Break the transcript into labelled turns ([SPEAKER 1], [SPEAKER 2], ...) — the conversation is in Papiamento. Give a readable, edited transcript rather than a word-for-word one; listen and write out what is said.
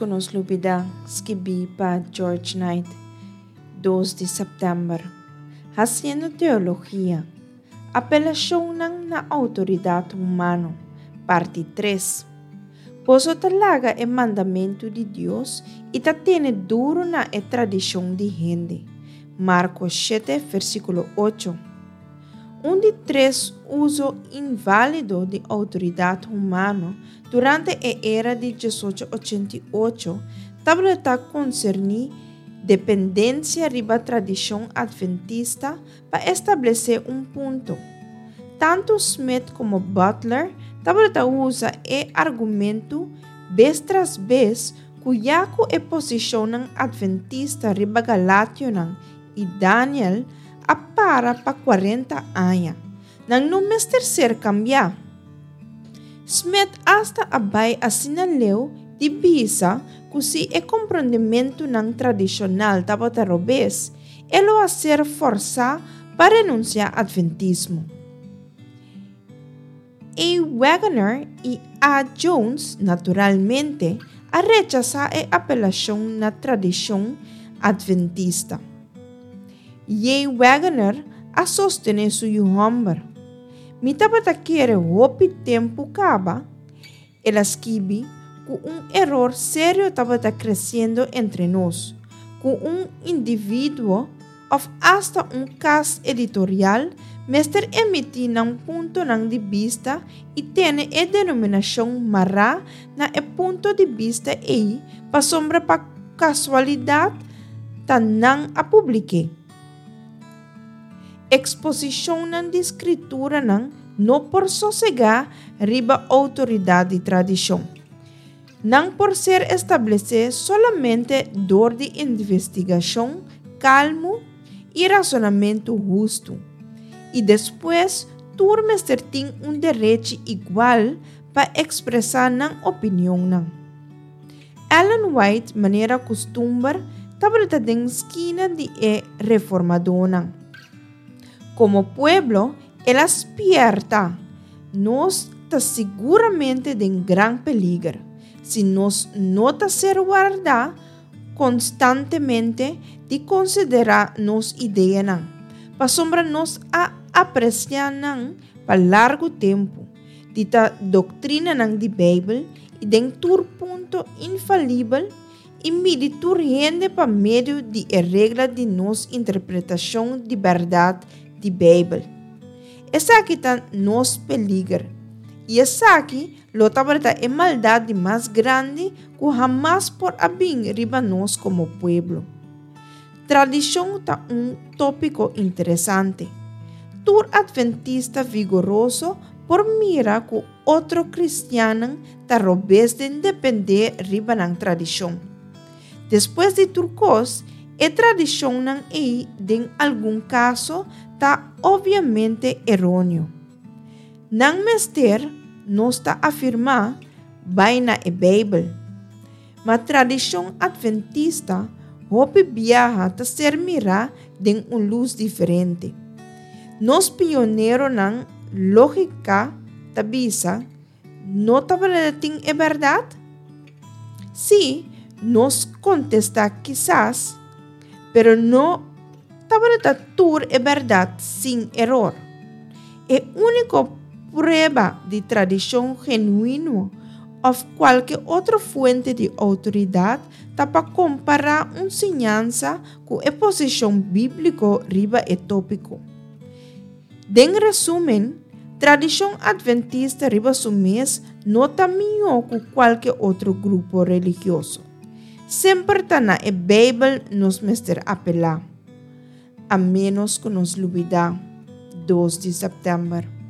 [SPEAKER 1] ku nos lubidá, skibí pa George Knight, dos di sèptèmber. Hasiendo teologia, Apelashonnan na outoridat humano, parti tres. Boso ta laga e mandamentu di Dios i ta tene duru na e tradishon di hende. Marko shete, versíkulo ocho. Un di tres uso inválido di outoridat humano durante e era di diesocho ochenta i ocho tabata konserní dependensia riba tradishon adventista pa establesé un punto. Tantu Smith komo Butler tabata usa e argumentu bes tras bes ku ya ku e posishonnan adventista riba Galationan i Daniel a para pa kuarenta aña, nan no mester ser kambiá. Smith asta a bai asina leu di bisa ku si e komprondementunan tradishonal tabata robes, e lo a ser forsá pa renunsiá adventismo. A. Waggoner i A. Jones, naturalmente, a rechasá e apelashon na tradishon adventista. J. Waggoner a sostené su yu hòmber. Mi tabata kere hopi tempu kaba, El a skibi ku un eror serio tabata kresiendo entre nos, ku un individuo òf asta un kas editorial mester emití nan puntonan di bista i tene e denominashon mará na e punto di bista ei pasobra pa kasualidat ta nan a publik'é. Eksposishonnan di Skrituranan no por sosegá riba outoridat di tradishon. Nan por ser establesé solamente dor di investigashon kalmu i rasonamentu hustu, i despues tur mester tin un derechi igual pa ekspresá nan opinionnan. Ellen White manera kustumber tabata den skina di e reformadónan. Komo pueblo el a spièrta, Nos ta siguramente den gran peliger si nos no ta ser wardá konstantemente di konsiderá nos ideanan, pasobra nos a apresiá nan pa largu tempu. Di ta doktrinanan di Beibel i den tur punto infalibel i midi tur hende pa medio di e regla di nos interpretashon di bèrdat di Beibel. Esaki ta nos peliger, i esaki lo tabata e maldat di mas grandi ku hamas por a bin riba nos komo pueblo. Tradishon ta un tópiko interesante. Tur atventista vigoroso por mira ku otro kristiannan ta robes den dependé riba nan tradishon. Despues di tur kos, e tradishonnan ei den algun kaso ta opviamente eróneo. Nan mester, nos ta afirmá, bai na e Beibel. Ma tradishon atventista hopi biaha ta ser mirá den un lus diferente. Nos pioneronan lógika ta bisa, No tabata tin e bèrdat? Sí, nos kontestá kisas, pero no tabata tur e bèrdat sin eror. E úniko prueba di tradishon genuino òf kualke otro fuente di outoridat ta pa kompará un siñansa ku e posishon bíbliko riba e tópiko. Den resúmen, tradishon adventista riba su mes no ta mihó ku kualke otro grupo religioso. Semper ta na e Beibel nos mester apelá. A ménos ku nos lubidá, dos di sèptèmber.